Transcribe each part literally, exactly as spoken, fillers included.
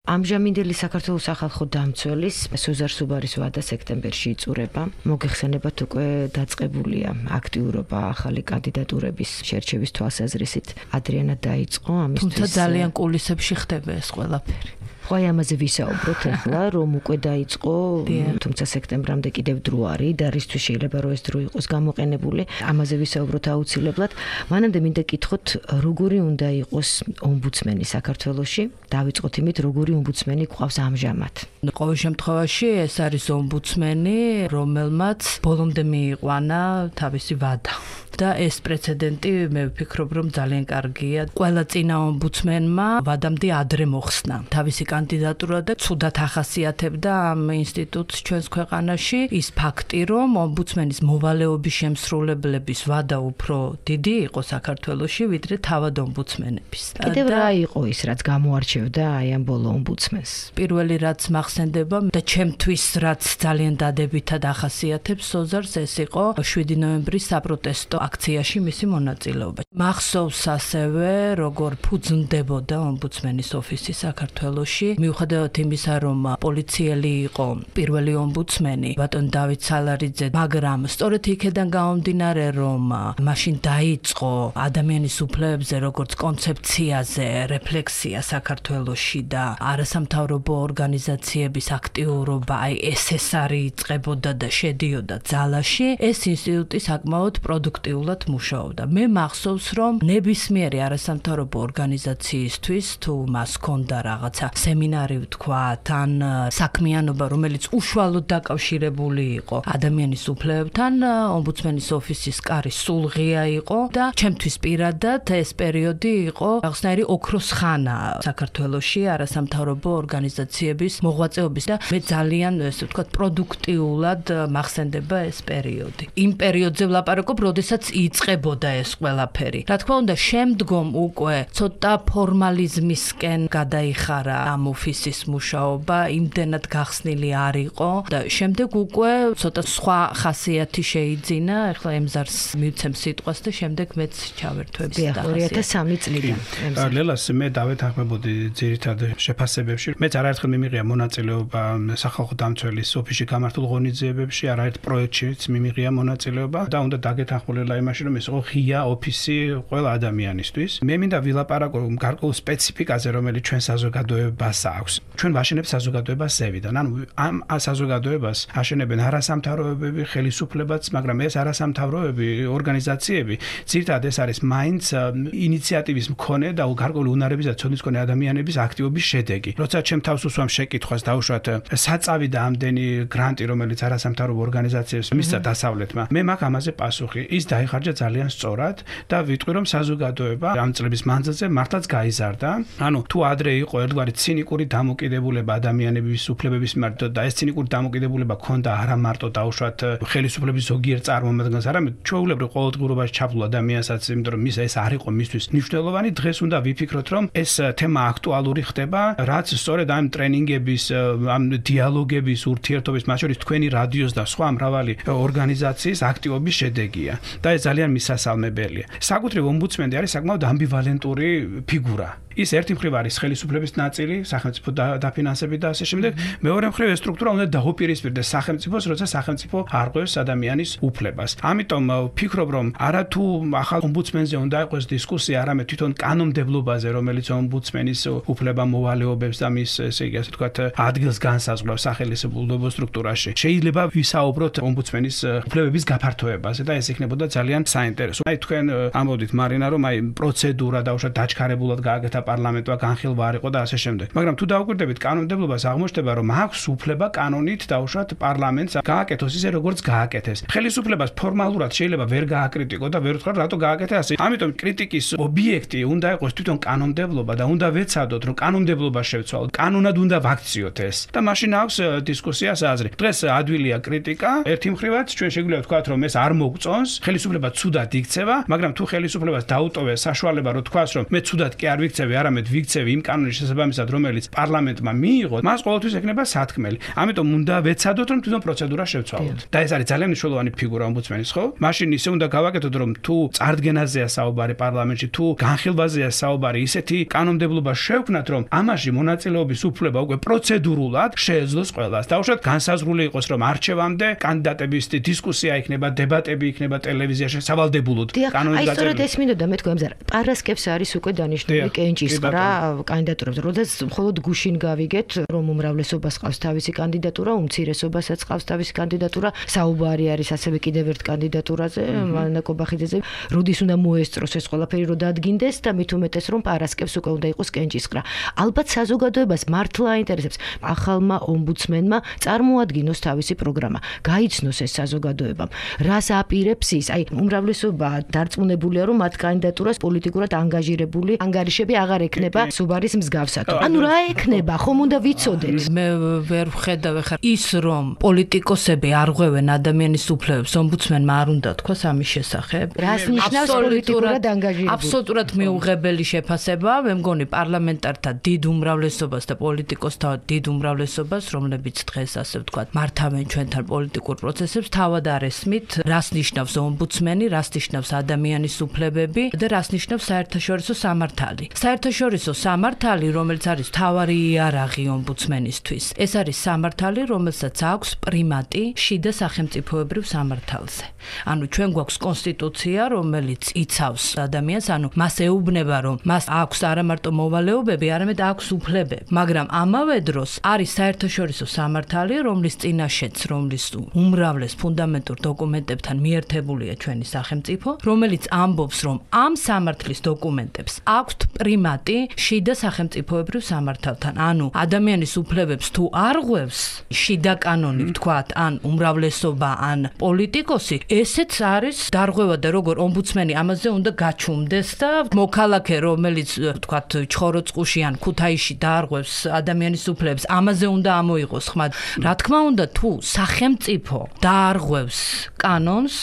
ამჟამინდელი საქართველოს სახალხო დამცველის სუზარ სუბარის ვადა სექტემბერში იწურება. მოგეხსენებათ უკვე დაწყებულია აქტიურობა ახალი კანდიდატურების შერჩევის თვალსაზრისით. ადრიანად დაიწყო ამისთვის. თუმცა ძალიან კულისებში ხდება ეს ყველაფერი. ხო, ამაზე ვისაუბროთ ახლა, რომ უკვე დაიწყო, თუმცა სექტემბრამდე კიდევ დრო არის და რისთვის შეიძლება რომ ეს დრო იყოს გამოყენებული. ამაზე ვისაუბროთ აუცილებლად. მანამდე მინდა გითხოთ, როგორი უნდა იყოს ომბუდსმენი საქართველოში? დავიწყოთ იმით, როგორი ომბუდსმენი გვყავს ამჟამად. ყოველ შემთხვევაში ეს არის ომბუდსმენი, რომელმაც ბოლომდე მიიყვანა თავისი ვადა. და ეს პრეცედენტი მე ვფიქრობ, რომ ძალიან კარგია. ყველა წინა ომბუდსმენმა ვადამდე ადრე მოხსნა თავისი კანდიდატურა და ცუდად ახასიათებდა ამ ინსტიტუტს ჩვენს ქვეყანაში ის ფაქტი, რომ ომბუდსმენის მოვალეობის შემსრულებლების ვადა უფრო დიდი იყო საქართველოში, ვიდრე თავად ომბუდსმენების. კიდევ რა იყო ის, რაც გამოარჩევდა აი ამ ბოლო ომბუდსმენს? პირველი რაც მახსენდება და ჩემთვის რაც ძალიან დადებითად ახასიათებს სოზარს, ეს იყო შვიდი ნოემბრის საპროტესტო აქციაში მისი მონაწილეობა. მახსოვს ასევე, როგორ ფუძნდებოდა ომბუდსმენის ოფისი საქართველოში, მიუხედავად იმისა, რომ პოლიციელი იყო პირველი ომბუდსმენი, ბატონ დავით სალარიძე, მაგრამ სწორედ იქედან გამომდინარე, რომ მაშინ დაიწყო ადამიანის უფლებებზე როგორც კონცეფციაზე რეფლექსია საქართველოში და არასამთავრობო ორგანიზაციების აქტიურობა, აი ეს ეს არის იწყებოდა და შედიოდა ძალაში, ეს ინსტიტუტი საკმაოდ პროდუქტიულად მუშაობდა. მე მახსოვს, რომ ნებისმიერი არასამთავრობო ორგანიზაციისთვის თუ მას ჰქონდა რაღაცა სემინარი ვთქვა, თან საქმიანობა, რომელიც უშუალოდ დაკავშირებული იყო ადამიანის უფლებებთან, ომბუდსმენის ოფისის კარი სულღია იყო და ჩემთვის პირადად ეს პერიოდი იყო რაღაცნაირი ოქროს ხანა საქართველოში არასამთავრობო ორგანიზაციების მოღვაწეობის და მე ძალიან ესე ვთქვათ პროდუქტიულად მახსენდება ეს პერიოდი. იმ პერიოდზე ვლაპარაკობ, როდესაც იწყებოდა ეს ყველაფერი. რა თქმა უნდა, შემდგომ უკვე ცოტა ფორმალიზმისკენ გადაიხარა ამ ოფისის მუშაობა, იმდენად გახსნილი არ იყო და შემდეგ უკვე ცოტა სხვა ხასიათი შეიძინა. ახლა ემზარს მივცემ სიტყვას და შემდეგ მეც ჩავერთვებ ორი ათას სამი წლიდან. ლელას მე დავეთანხმებოდი ძირითად შეფასებებში. მეც არაერთხელ მიმიღია მონაწილეობა სახალხო დამცველის ოფისში გამართულ ღონისძიებებში, არაერთ პროექტშიც მიმიღია მონაწილეობა და უნდა დაგეთანხმულიყო იმაში, რომ ეს იყო ღია ოფისი ყველა ადამიანისთვის. მე მინდა ვილაპარაკო გარკვეულ სპეციფიკაზე, რომელიც ჩვენ საზოგადოებას აქვს. ჩვენ ვაშენებთ საზოგადოებას ზევიდან. ანუ ამ საზოგადოებას აშენებენ არასამთავრობოები, ხელისუფლებაც, მაგრამ ეს არასამთავრობოები, ორგანიზაციები, ძირითადად ეს არის მაინც ინიციატივის მქონე და გარკვეული უნარების და ცოდნის მქონე ადამიანების აქტივობის შედეგი. როცა ჩემ თავს უსვამ შეკითხვას დაუშვათ საწავი და ამდენი გრანტი, რომელიც არასამთავრობო ორგანიზაციებს მისცა დასავლეთმა, მე მაქვს ამაზე პასუხი. ის დაიხარჯა ძალიან სწორად და ვიტყვი, რომ საზოგადოება ამ წლების მანძილზე მართლაც გაიზარდა. ანუ თუ ადრე იყო ერთგვარი ცინიკური დამოკიდებულება ადამიანების უფლებების მიმართ და ეს ცინიკური დამოკიდებულება ქონდა არა მარტო დაუშვათ ხელისუფლების ზოგიერთ წარმომადგენლს, არამედ ჩვეულებრივ ყოველდღიურობაში ჩაბლულ ადამიანსაც, იმიტომ რომ მის ეს არ იყო მისთვის მნიშვნელოვანი. დღეს უნდა ვიფიქროთ, რომ ეს თემა აქტუალური ხდება, რაც სწორედ ამ ტრენინგების, ამ დიალოგების, ურთიერთობის, მათ შორის თქვენი რადიოს და სხვა მრავალი ორგანიზაციის აქტივობის შედეგია და ეს ძალიან მისასალმებელია. საკუთრივ ომბუდსმენი არის საკმაოდ ამბივალენტური ფიგურა. ის ერთი მხრივ არის ხელისუფლების ნაწილი, სახელმწიფო დაფინანსებით და ასე შემდეგ. მეორე მხრივ ეს სტრუქტურა უნდა დაუპირისპირდეს სახელმწიფოს, როცა სახელმწიფო არღვევს ადამიანის უფლებას. ამიტომ ვფიქრობ, რომ არა თუ ახალ ომბუდსმენზე უნდა იყოს დისკუსია, არამედ თვითონ კანონმდებლობაზე, რომელიც ომბუდსმენის უფლება მოვალეობებს და მის ესე იგი ასე ვთქვათ ადგილს განსაზღვრავს სახელმწიფო სტრუქტურაში. შეიძლება ვისაუბროთ ომბუდსმენის უფლებების გაფართოებაზე და ეს იქნებოდა ძალიან საინტერესო. აი თქვენ ამბობთ მარინა, რომ აი პროცედურა დაუშვათ დაჩქარებულად გააკეთა პარლამენტმა განხილვა არ იყო და ასე შემდეგ. მაგრამ თუ დაუკვირდებით კანონმდებლობას, აღმოჩნდება, რომ აქვს უფლება კანონით დაუშვათ პარლამენტს გააკეთოს ისე, როგორც გააკეთეს. ხელისუფლებას ფორმალურად შეიძლება ვერ გააკრიტიკო და ვერ ვთქვა, რატო გააკეთე ასე. ამიტომ კრიტიკის ობიექტი უნდა იყოს თვითონ კანონმდებლობა და უნდა ვეცადოთ, რომ კანონმდებლობა შევცვალოთ. კანონად უნდა ვაქციოთ ეს და მაშინ აქვს დისკუსიას აზრი. დღეს ადვილია კრიტიკა, ერთი მხრივაც ჩვენ შეგვიძლია ვთქვათ, რომ ეს არ მოგწონს, ხელისუფლება ცუდად იქცევა, მაგრამ თუ ხელისუფლებას დაუტოვეს საშუალება, რომ თქვას, რომ მე ცუდად კი არ ვიქცევი, არამედ ვიქცევი იმ კანონის შესაბამისად, რომელიც პარლამენტმა მიიღო, მას ყოველთვის ექნება სათქმელი. ამიტომ უნდა ვეცადოთ, რომ თვითონ პროცედურა შევცვალოთ. და ეს არის ძალიან მნიშვნელოვანი ფიგურა ომბუდსმენის, ხო? მაშინ ისე უნდა გავაკეთოთ, რომ თუ წარდგენაზეა საუბარი პარლამენტში, თუ განხილვაზეა საუბარი, ისეთი კანონმდებლობა შევქმნათ, რომ ამაში მონაწილეობის უფლება უკვე პროცედურულად შეეძლოს ყველას. დაუშვათ განსაზღვრული იყოს, რომ არჩევამდე კანდიდატების დისკუსია იქნება, დებატები იქნება ტელევიზიაში სავალდებულოდ. კანონის გაწერილი. აი, სწორედ ეს მინდოდა მეთქვა, ამზარ პარასკევს არის უკვე დანიშნული კენჭისყრა კანდიდატურებზე. როდესაც მხოლოდ გუშინ გავიგეთ, რომ უმრავლესობას ყავს თავისი კანდიდატურა, უმცირესობასაც ყავს თავისი კანდიდატურა, საუბარი არის ასევე კიდევ ერთ კანდიდატურაზე, მანა კობახიძეზე. როდის უნდა მოესწროს ეს ყველაფერი, რომ დადგინდეს და მით უმეტეს, რომ პარასკევს უკვე უნდა იყოს კენჭისყრა. ალბათ საზოგადოებას მართლა აინტერესებს ახალმა ომბუდსმენმა წარმოადგინოს თავისი პროგრამა, გაიცნოს ეს საზოგადოებამ. რას აპირებს ის? აი, უმრავლესობა დარწმუნებულია, რომ მათ კანდიდატურას პოლიტიკურად ანგაჟირებული ანგარიშები აღარ ექნება სუბარის მსგავსად. ანუ რა ექნება? ხომ უნდა ვიცოდეთ? მე ვერ ვხედავ ხარ ის, რომ პოლიტიკოსები არ ღვევენ ადამიანის უფლებებს, ომბუდსმენმა არ უნდა თქვას ამის შესახებ. რას ნიშნავს პოლიტიკურად ანგაჟირებული? აბსოლუტურად მიუღებელი შეფასება, მე მგონი პარლამენტართა დიდ უმრავლესობას და პოლიტიკოსთა დიდ უმრავლესობას, რომლებიც დღეს ასე ვთქვათ, მართავენ ჩვენთან პოლიტიკურ პროცესებს, თავად არ ესმით, რას ნიშნავს ომბუდსმენი, რას ნიშნავს ადამიანის უფლებები და რას ნიშნავს საერთაშორისო სამართალი. საერთაშორისო სამართალი, რომელიც არის მთავარი იარაღი ომბუდსმენისთვის, ეს არის სამართალი, რომელსაც აქვს პრიმატი შიდა სახელმწიფოებრივ სამართალზე. ანუ ჩვენ გვაქვს კონსტიტუცია, რომელიც იცავს ადამიანს, ანუ მას ეუბნება, რომ მას აქვს არა მარტო მოვალეობები, არამედ აქვს უფლებები. მაგრამ ამავე დროს არის საერთაშორისო სამართალი, რომლის წინაშეც, რომლის უმრავლეს ფუნდამენტურ დოკუმენტებთან მიერთებულია ჩვენი სახელმწიფო, რომელიც ამბობს, რომ ამ სამართლის დოკუმენტებს აქვთ პრიმატი შიდა სახელმწიფოებრივ სამართალთან. ანუ ადამიანის უფლებებს თუ არ ღვევს შიდა კანონი, ვთქვათ, ან უმრავლესობა, ან პოლიტიკოსი, ესეც არის დარღვევა და როგორ ომბუდსმენი ამაზე უნდა გაჩუმდეს და მოქალაქე, რომელიც, ვთქვათ, ჩხოროწყუში ან ქუთაისში დაარღვევს ადამიანის უფლებებს, ამაზე უნდა ამოიღოს ხმა. რა თქმა უნდა, თუ სახელმწიფო დაარღვევს კანონს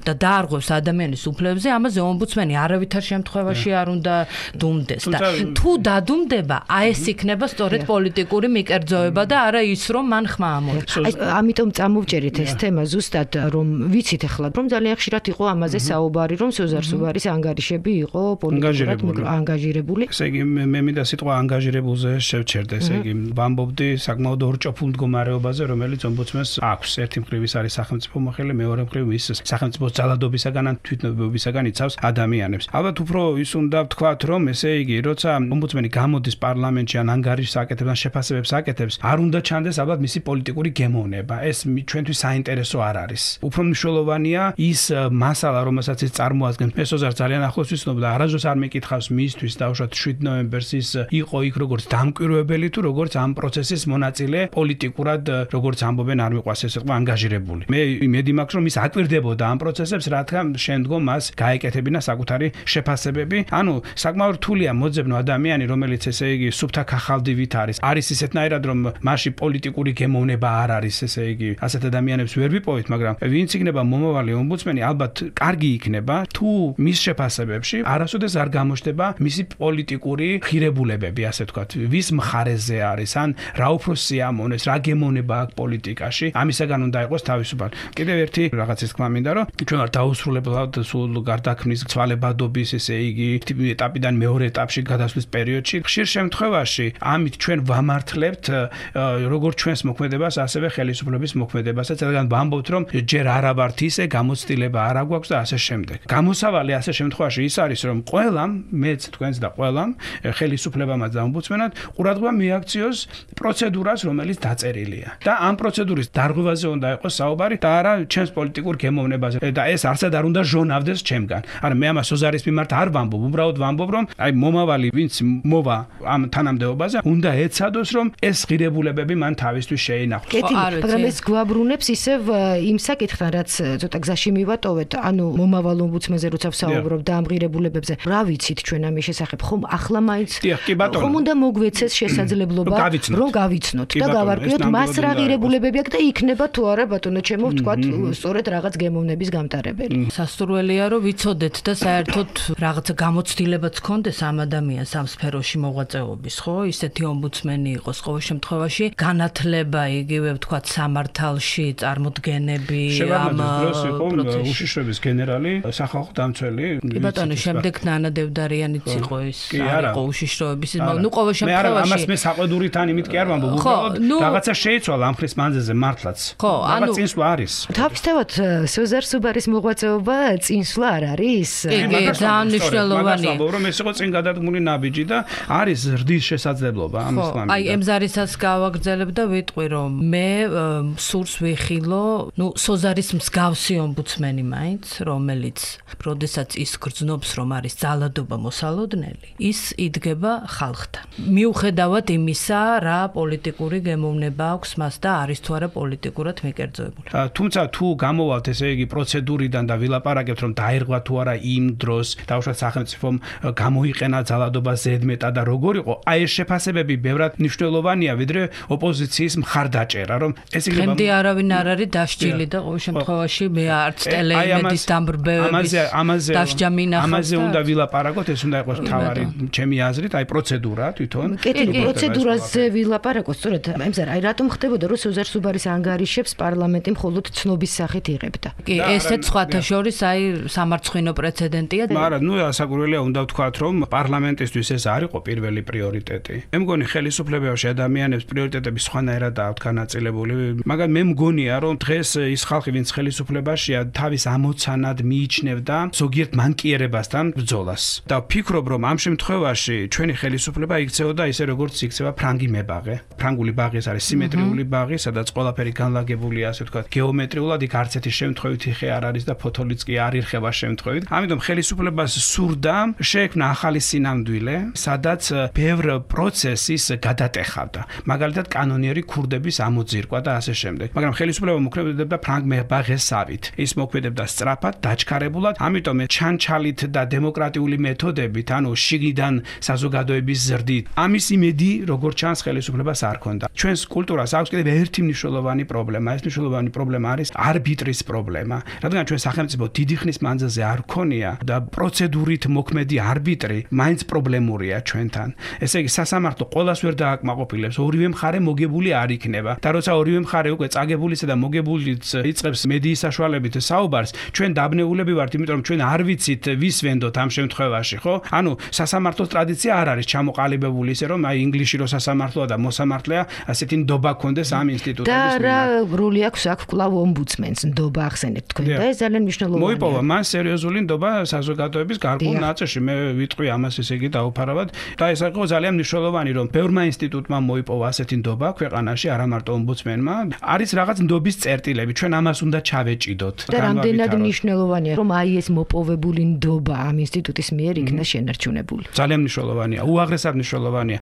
და დაარღვევს ადამიანის უფლებებზე, ამაზე ომბუდსმენი არავითარ შემთხვევაში არ უნდა დუმდეს და თუ დადუმდება, აი ეს იქნება სწორედ პოლიტიკური მიკერძოება და არა ის, რომ მან ხმა ამოიღოს. აი, ამიტომ წამოვჭერეთ ეს თემა ზუსტად, რომ ვიცით ახლა, რომ ძალიან ხშირად იყო ამაზე საუბარი, რომ სოზარ სუბარის ანგარიშები იყო პოლიტიკურად ანგაჟირებული. ესე იგი, მე მინდა სიტყვა ანგაჟირებულზე შევჩერდე, ესე იგი, ვამბობდი საკმაოდ ორჭოფულ მდგომარეობაზე, რომელიც ომბუდსმენს აქვს. ერთი მხრივ ის არის სახელმწიფო მოხელე, მეორე მხრივ ის სახელმწიფოს ძალადობისაგან ან თვითნებობისაგან იცავს ადამიანებს. ალბათ უფრო ის უნდა ვთქვათ, რომ ესე იგი, როცა ომბუდსმენი გამოდის პარლამენტში ან ანგარიშს აკეთებს ან შეფასებებს აკეთებს, არ უნდა ჩანდეს ალბათ მისი პოლიტიკური გემოვნება. ეს ჩვენთვის საინტერესო არ არის. უფრო მნიშვნელოვანია ის მასალა, რომელსაც ის წარმოადგენს. მე სოზარ ძალიან ახლოს ვიცნობ და არასდროს არ მეკითხავს მისთვის დაუშვათ შვიდ ნოემბერს ის იყო იქ როგორც დამკვირვებელი თუ როგორც ამ პროცესის მონაწილე პოლიტიკურად როგორც ამბობენ არ მიყვას ეს იყო ანგაჟირებული. მე იმედი მაქვს რომ ის აკვირდებოდა ამ პროცესებს, რადგან შემდგომ მას გაეკეთებინა საკუთარი შეფასებები. ანუ საკმაოდ რთულია მოძებნო ადამიანი, რომელიც ესე იგი სუფთა ქახალდივით არის. არის ისეთნაირად რომ მასში პოლიტიკური გემოვნება არ არის, ესე იგი ასეთ ადამიანებს ვერ ვიპოვეთ, მაგრამ ვინც იქნება მომავალი ომბუდსმენი, ალბათ კარგი იქნება თუ მის შეფასებებში არასოდეს არ გამოჩნდება მისი პოლიტიკური ღირებულებები, ასე ვთქვათ, ვის მხარეზე არის, ან რა უფრო სიამოვნეს, რა გემოვნება აქვს პოლიტიკაში, ამისაგან უნდა იყოს თავისუფალი. კიდევ ერთი რაღაცის თქმა მინდა, რომ ჩვენ არ დაუსრულებლად სულ გარდაქმნის ცვალებადობის, ესე იგი, ეტაპიდან მეორე ეტაპში გადასვლის პერიოდში, ხშირ შემთხვევაში ამით ჩვენ ვამართლებთ როგორც ჩვენს მოქმედებას, ასევე ხელისუფლების მოქმედებასაც, რადგან ვამბობთ, რომ ჯერ არა ვართ ისე, გამოცდილება არ აქვს და ასე შემდეგ. გამოსავალი ასე შემთხვევაში ის არის, რომ ყველამ, მეც თქვენს და ყველამ, ხელისუფლებამაც და ომბუდსმენად ყურადღება მიაქციოს პროცედურას, რომელიც დაწერილია. და ამ პროცედურის დარღვევაზე უნდა იყოს საუბარი და არა ჩემს პოლიტიკურ გემოვნებაზე. და ეს არცად არ უნდა ჟონავდეს ჩემგან. არა, მე ამას სოზარის მიმართ არ ვამბობ, უბრალოდ ვამბობ, რომ აი მომავალი ვინც მოვა ამ თანამდებობაზე, უნდა ეცადოს, რომ ეს ღირებულებები მან თავისთვის შეინახოს. კეთილი, მაგრამ ეს გვაბრუნებს ისევ იმ საკითხთან, რაც ცოტა გზაში მივატოვეთ, ანუ მომავალ ომბუდსმენზე როცა ვსაუბრობ და ამ ღირებულებებზე, რა ვიცით ჩვენ ამის შესახებ? ხომ ახლა მაინც ხომ უნდა მოგვეცეს შესაძლებლობა, რომ გავიცნოთ და გავარკვიოთ მას რა ღირებულებები აქვს და იქნება თუ არა ბატონო ჩემო ვთქვათ, სწორედ რაღაც გემოვნების გამტარებელი. სასურველია, რომ ვიცოდეთ და საერთოდ რაღაცა გამოცდილებაც გქონდეს ამ ადამიანს ამ სფეროში მოღვაწეობის, ხო? ისეთი ომბუდსმენი იყოს ყოველ შემთხვევაში განათლება იგივე ვთქვათ სამართალში წარმოდგენები ამ პროცესში. უშიშროების გენერალი, სახალხო დამცველი. კი ბატონო, შემდეგ ნანა დევდარიანიც იყო ის, არ იყო უშიშროების, ნუ ყოველ შემთხვევაში. მე ამას მე საყვედურიდან იმით კი არ ვამბობ, უბრალოდ რაღაცა შეიცვალა ამ ხრის მანძილზე მართლაც. ხო, ანუ წინსვლა არის. თავისთავად სოზარ სუბარის მოღვაწეობა წინსვლა არ არის? კი, ძალიან მნიშვნელოვანია. ვამბობ, რომ ეს იყო წინ გადადგმული ნაბიჯი და არის ზრდის შესაძლებლობა ამ ისლამიდან. აი, ემზარისაც გავაგრძელებ და ვიტყვი, რომ მე სურს ვიხილო, ნუ სოზარის მსგავსი ომბუდსმენი მაინც, რომელიც როდესაც ის გრძნობს, რომ არის ძალადობა მოსალოდნელი, ის იდგება ხალხთან. მიუხედავად იმისა, რა პოლიტიკური გემოვნება აქვს მას და არის თუ არა პოლიტიკურად მიკერძოებული. თუმცა თუ გამოვალთ ესე იგი პროცედურიდან და ვილაპარაკებთ, რომ დაერღვა თუ არა იმ დროს, დავუშვათ სახელმწიფომ გამოიყენა ძალადობა ზედმეტად და როგორ იყო, აი ეს შეფასებები ბევრად მნიშვნელოვანია, ვიდრე ოპოზიციის მხარდაჭერა, რომ ეს იქნება ხემდე არავინ არ არის დასჯილი და ყოველ შემთხვევაში მე არც ტელეიმედის დამბრბევების დასჯა მინახავს. ამაზე უნდა ვილაპარაკოთ, ეს უნდა იყოს თავარი ჩემი აზრით, აი პროცედურა თვითონ. კეთილი პროცედურაზე ვილაპარაკოთ, სწორედ ემზარ, აი რატომ ხდებოდა, რომ სოზარ სუბარის ანგარიშებს პარლამენტი მხოლოდ ცნობის სახით იღებდა? კი, ესეც სხვათა შორის აი სამარცხვინო პრეცედენტია. მაგრამ ნუ ასაკურველია უნდა ვთქვათ, რომ პარლამენტისთვის ეს არ იყო პირველი პრიორიტეტი. მე მგონი ხელისუფლებაში ადამიანებს პრიორიტეტები სხვანაირადაა განაწილებული, მაგრამ მე მგონია, რომ დღეს ის ხალხი, ვინც ხელისუფლებაშია, თავის ამოცანად მიიჩნევდა ზოგიერთ მანკიერებასთან ბრძოლას. და ვფიქრობ, რომ ამ შემთხვევაში ჩვენი ხელისუფლება იქცეოდა ისე, როგორც იქცევა ფრანგი მებაღე. ფრანგული ბაღი ეს არის სიმეტრიული ბაღი, სადაც ყველაფერი განლაგებულია, ასე ვთქვათ, გეომეტრიულად, იქ არც ერთი შემთხვევით ხე არ არის და ფოთოლიც კი არ ირხება შემთხვევით. ამიტომ ხელისუფლებას სურდა შეექმნა ახალი სინამდვილე, სადაც ბევრ პროცესის გადატეხავდა. მაგალითად, კანონიერი ქურდების ამოძირკვა და ასე შემდეგ. მაგრამ ხელისუფლება მოქმედებდა ფრანგ მებაღესავით. ის მოქმედებდა სწრაფად, დაჩქარებულად, ამიტომ ჩანჩალით და დემოკრატიული მეთოდებით, ანუ შიგნიდან საზოგადოების ზრდით. ამის იმედი, როგორც ჩანს, ხელისუფლებას არ ქონდა. ჩვენს კულტურას აქვს კიდევ ერთი მნიშვნელოვანი პრობლემა. ეს მნიშვნელოვანი პრობლემა არის არბიტრის პრობლემა. რადგან ჩვენ სახელმწიფო დიდი ხნის მანძილზე არ ქონია და პროცედურით მოქმედი არბიტრი მაინც პრობლემურია ჩვენთან. ესე იგი, სასამართლო ყველას ვერ დააკმაყოფილებს, ორივე მხარე მოგებული არ იქნება. და როცა ორივე მხარე უკვე წაგებულისა და მოგებულიც იწყებს მედიის საშუალებით საუბარს, ჩვენ დაბნეულები ვართ, იმიტომ რომ ჩვენ არ ვიცით ვის ვენდოთ ამ შემთხვევაში, ხო? ანუ სასამართლოს ტრადიცია არ არის ჩამოყალიბებული ისე რომ აი ინგლისში რო სასამართლოა და მოსამართლეა, ასეთი ნდობა ქონდეს ამ ინსტიტუტების მიმართ. და რა როლი აქვს აქ კვლავ ომბუდსმენს ნდობა ახსენეთ თქვენ და ეს ძალიან მნიშვნელოვანია. მოიპოვა მან სერიოზული ნდობა საზოგადოების გარკვეულ ნაწილში. მე ვიტყვი ამას ესე იგი დაუფარავად და ეს იყო ძალიან მნიშვნელოვანი, რომ ბევრმა ინსტიტუტმა მოიპოვა ასეთი ნდობა ქვეყანაში, არა მარტო ომბუდსმენმა. არის რაღაც ნდობის წერტილები, ჩვენ ამას უნდა ჩავეჭიდოთ. და რამდენად მნიშვნელოვანია, რომ აი ეს მოპოვებული ნდობა ამ ინსტიტუტის მიერ იქნა შენარჩუნებული. ძალიან მნიშვნელოვანია, უაღრესად მნიშვნელოვანია.